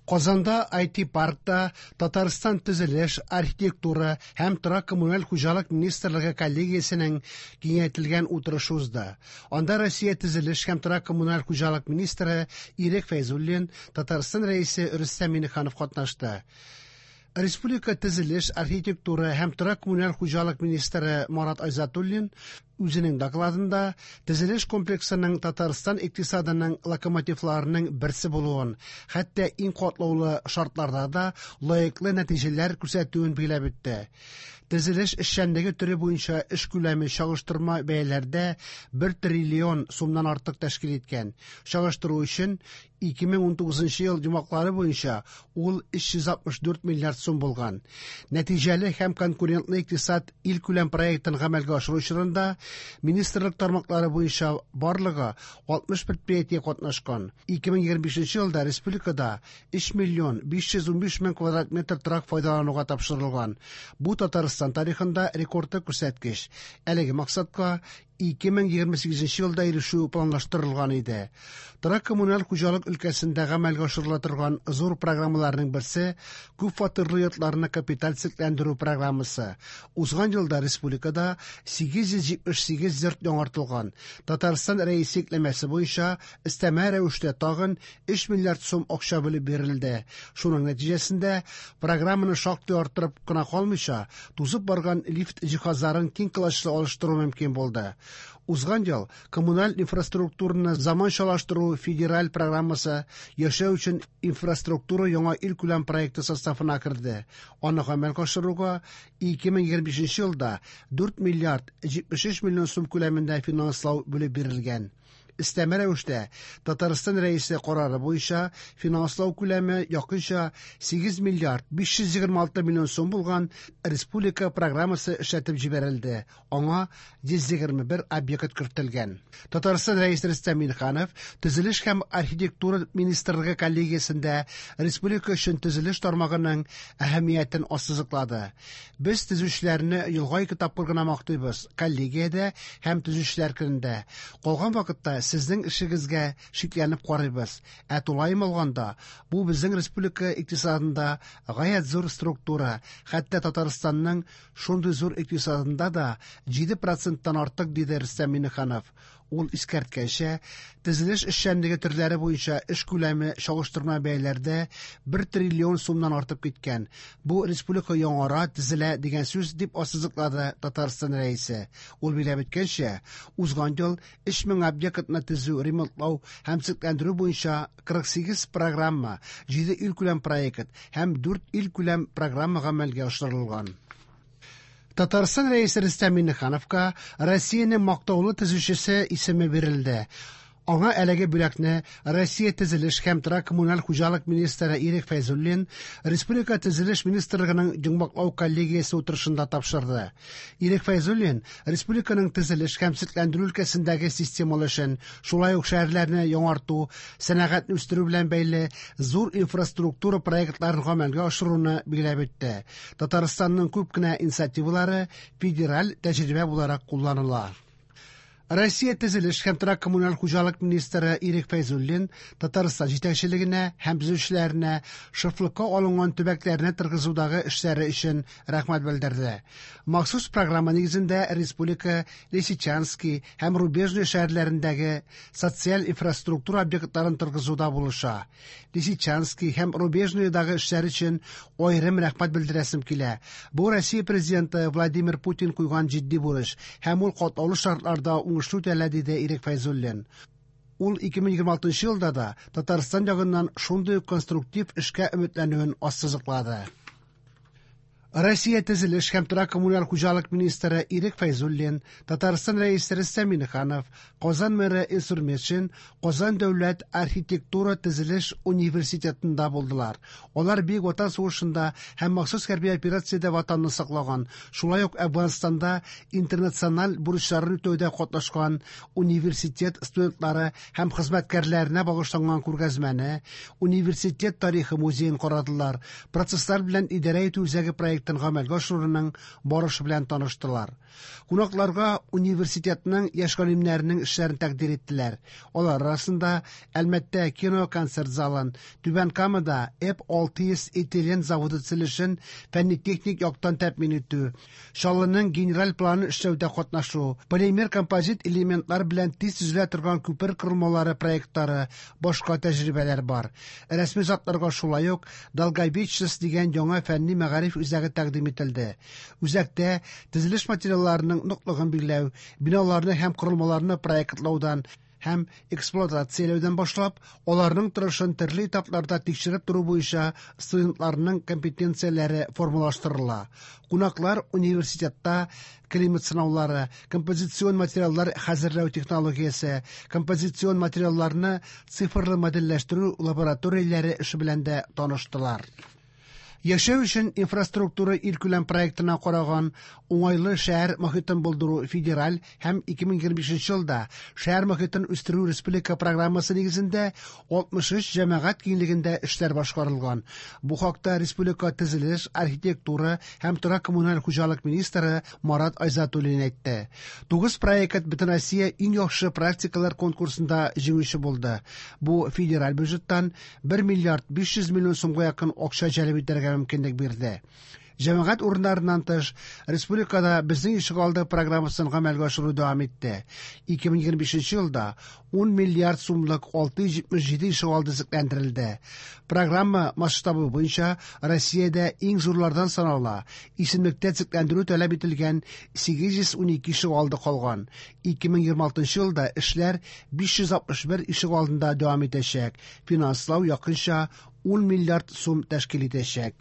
Казанда IT-паркта Татарстан төзелеш, архитектура һәм торак-коммуналь хуҗалык министрлыгы коллегиясенең киңәйтелгән утырышы узды. Анда Россия төзелеш һәм торак-коммуналь хуҗалык министры Ирек Фәйзуллин, Татарстан Рәисе Рөстәм Миңнеханов катнашты. Республика төзелеш, архитектура һәм торак-коммуналь хуҗалык министры Марат Айзатуллин үзенең докладында төзелеш комплексының Татарстан икътисадының локомотивларының берсе булуын, хәтта иң катлаулы шартларда да лаеклы нәтиҗәләр күрсәтүен билгеләп үтте. Төзелеш эшчәнлеге төре буенча эш күләме чагыштырма бәяләрдә 1 триллион сумнан артык тәшкил иткән. Чагыштыру өчен 2019 ел йомгаклары буенча ул 364 миллиард сум булган. Нәтиҗәле һәм конкурентлы икътисад илкүләм проектын гамәлгә ашыру чорында министрлык тармаклары буенча барлыгы 60 предприятие катнашкан. 2025 елда республикада 3 миллион 515 мең квадрат метр торак файдалануга тапшырылган. Бу Татарстан тарихында рекордлы күрсәткеч. Әлеге максатка 2028 елда ирешү планлаштырылган иде. Торак-коммуналь хуҗалык өлкәсендә гамәлгә ашырыла торган зур программаларның берсе күп фатирлы йортларны капиталь төзекләндерү программасы. Узган елда республикада 878 йорт яңартылган. Татарстан Рәисе йөкләмәсе буенча өстәмә рәвештә тагын 3 миллиард сум акча бүлеп бирелде. Шуның нәтиҗәсендә программаны шактый арттырып кына калмыйча, тузып барган лифт җиһазларын киң колачлы алыштыру мөмкин булды. Узган ел коммуналь инфраструктураны заманчалаштыру федераль программасы яшәү өчен инфраструктура яңа илкүләм проекты составына керде. Аны гамәлгә ашыруга 2025 елда 4 миллиард 73 миллион сум күләмендә финанслау бүлеп бирелгән. Өстәмә рәвештә Татарстан Рәисе карары буенча финанслау күләме якынча 8 миллиард 526 миллион сум булган республика программасы эшләтеп җибәрелде. Аңа 121 объект кертелгән. Татарстан Рәисе Рөстәм Миңнеханов Төзелеш һәм архитектура министрлыгы коллегиясендә республика өчен төзелеш тармагының әһәмиятен ассызыклады. Без төзүчеләрне елга ике тапкыр гына мактыйбыз: коллегиядә һәм төзүчеләр көнендә. Калган вакытта сезнең эшегезгә шикләнеп карыйбыз. Ә тулаем алганда, бу безнең республика икътисадында гаять зур структура, хәтта Татарстанның шундый зур икътисадында да 7 проценттан артык, диде Рөстәм Миңнеханов. Ул искәрткәнчә, төзелеш эшчәнлеге төрләре буенча эш күләме чагыштырма бәяләрдә 1 триллион сумнан артып киткән. Бу республика яңара, төзелә дигән сүз, дип ассызыклады Татарстан Рәисе. Ул билгеләп үткәнчә, узган ел 3000 объектны төзү, ремонтлау һәм төзекләндерү буенча 48 программа, 7 илкүләм проект һәм 4 илкүләм программа гамәлгә ашырылган. Татарстан Рәисе Рөстәм Миңнехановка Россиянең мактаулы төзүчесе исеме бирелде. Аңа әлеге бүләкне Россия төзелеш һәм торак-коммуналь хуҗалык министры Ирек Фәйзуллин Республика төзелеш министрлыгының йомгаклау коллегиясе утырышында тапшырды. Ирек Фәйзуллин республиканың төзелеш һәм төзекләндерү өлкәсендәге системалы эшен, шулай ук шәһәрләрне яңарту, сәнәгатьне үстерү белән бәйле зур инфраструктура проектларын гамәлгә ашыруны билгеләп үтте. Татарстанның күп кенә инициативалары федераль тәҗрибә буларак кулланыла. Россия төзелеш һәм торак-коммуналь хуҗалык министры Ирек Фәйзуллин Татарстан җитәкчелегенә һәм төзүчеләренә шефлыкка алынган төбәкләрне торгызудагы эшләре өчен рәхмәт белдерде. Махсус программа нигезендә республика Лисичанский һәм Рубежный шәһәрләрендәге социаль инфраструктура объектларын торгызуда булыша. Лисичанский һәм Рубежныйдагы эшләр өчен аерым рәхмәт белдерәсем килә. Бу Россия президенты Владимир Путин куйган җитди бурыч һәм ул катлаулы шартларда уңышлы үтәлә, диде Ирек Фәйзуллин. Ул 2026 елда да Татарстан ягыннан шундый ук конструктив эшкә өметләнүен ассызыклады. Россия төзелеш һәм торак-коммуналь хуҗалык министры Ирек Фәйзуллин, Татарстан Рәисе Рөстәм Миңнеханов, Казан мэры Илсур Метшин Казан дәүләт архитектура төзелеш университетында булдылар. Алар Бөек Ватан сугышында һәм махсус хәрби операциядә ватанны саклаган, шулай ук Әфганстанда интернациональ бурычларын үтәүдә катнашкан университет студентлары һәм хезмәткәрләренә багышланган күргәзмәне, университет тарихы музеен карадылар. Процесслар белән идарә итү үзәге проекты проектын гамәлгә ашыруның барышы белән таныштылар. Кунакларга университетның яшь галимнәренең эшләрен тәкъдир иттеләр. Алар арасында Әлмәттә кино-концерт залын, Түбән Камада ЭП-600 этилен заводы төзелешен фәнни-техник яктан тәэмин итү, Чаллының генераль планын эшләүдә катнашу, полимер композит элементлар белән тиз төзелә торган күпер корылмалары проектлары, башка тәҗрибәләр бар. Рәсми затларга шулай ук Долговечность дигән яңа фәнни мәгариф үзәге тәкъдим ителде. Үзәктә төзелеш материалларының ныклыгын билгеләү, биналарны һәм корылмаларны проектлаудан һәм эксплуатацияләүдән башлап, аларның торышын төрле этапларда тикшереп тору буенча студентларның компетенцияләре формалаштырыла. Кунаклар университетта климат сынаулары, композицион материаллар хәзерләү технологиясе, композицион материалларны цифрлы модельләштерү лабораторияләре эше белән дә таныштылар. Яшәү өчен инфраструктура илкүләм проектына караган уңайлы шәһәр мохитен булдыру федераль һәм 2025 елда шәһәр мохитен үстерү республика программасы нигезендә 63 җәмәгать киңлегендә эшләр башкарылган. Бу хакта республика төзелеш, архитектура һәм торак-коммуналь хуҗалык министры Марат Айзатуллин әйтте. 9 проект Бөтенроссия иң яхшы практикалар конкурсында җиңүче булды. Бу федераль бюджеттан 1 миллиард 500 миллион сумга якын акча җәлеп итәргә мөмкинлек бирде. Җәмәгать урыннарыннан тыш, республикада Безнең ишегалды программасын гамәлгә ашыру дәвам итте. 2025 елда 10 миллиард сумлык 677 ишегалды төзекләндерелде. Программа масштабы буенча Россиядә иң зурлардан санала. Исемлектә төзекләндерү таләп ителгән 812 ишегалды калган. 2026 елда эшләр 561 ишегалдында дәвам итәчәк. Финанслау якынча 10 миллиард сум тәшкил итәчәк.